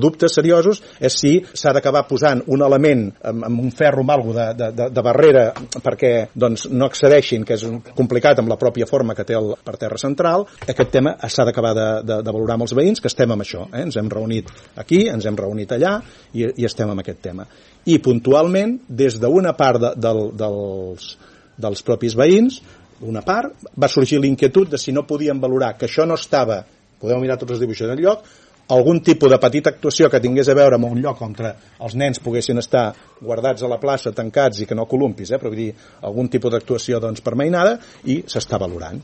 Dubtes seriosos és si s'ha d'acabar posant un element amb un ferro amb alguna de barrera perquè doncs, no accedeixin, que és complicat amb la pròpia forma que té el parterre central. Aquest tema s'ha d'acabar de valorar amb els veïns, que estem amb això. Ens hem reunit aquí, ens hem reunit allà i estem amb aquest tema. I puntualment, des d'una part dels propis veïns, una part, va sorgir l'inquietud de si no podien valorar que això no estava, podeu mirar tots els dibuixos en lloc, algun tipus de petita actuació que tingués a veure amb un lloc on els nens poguessin estar guardats a la plaça, tancats i que no columpis, però vull dir, algun tipus d'actuació doncs, per mainada, i s'està valorant.